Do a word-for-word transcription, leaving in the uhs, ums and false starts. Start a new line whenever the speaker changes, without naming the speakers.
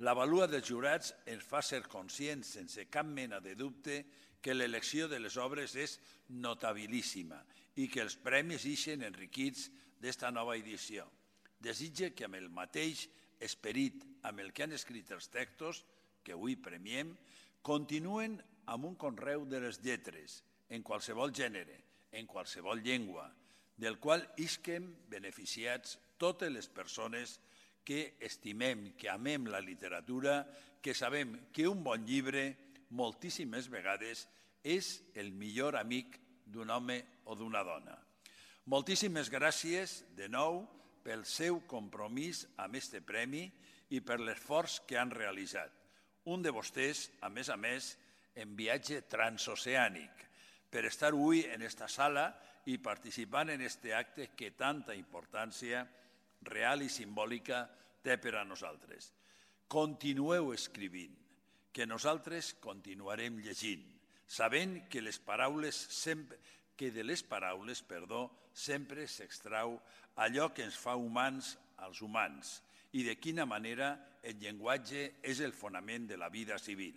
La valua dels jurats ens fa ser conscients, sense cap mena de dubte, que l'elecció de les obres és notabilíssima i que els premis ixen enriquits d'esta nova edició. Desitge que amb el mateix esperit amb el que han escrit els textos, que avui premiem, continuen amb un conreu de les lletres, en qualsevol gènere, en qualsevol llengua, del qual isquem beneficiats totes les persones que estimem, que amem la literatura, que sabem que un bon llibre, moltíssimes vegades, és el millor amic d'un home o d'una dona. Moltíssimes gràcies, de nou, pel seu compromís amb este premi i per l'esforç que han realitzat. Un de vostès, a més a més, en viatge transoceànic, per estar avui en esta sala i participant en este acte que tanta importància real i simbòlica té per a nosaltres. Continueu escrivint, que nosaltres continuarem llegint, sabent que les paraules sempre, que de les paraules, perdó, sempre s'extrau allò que ens fa humans als humans i de quina manera el llenguatge és el fonament de la vida civil.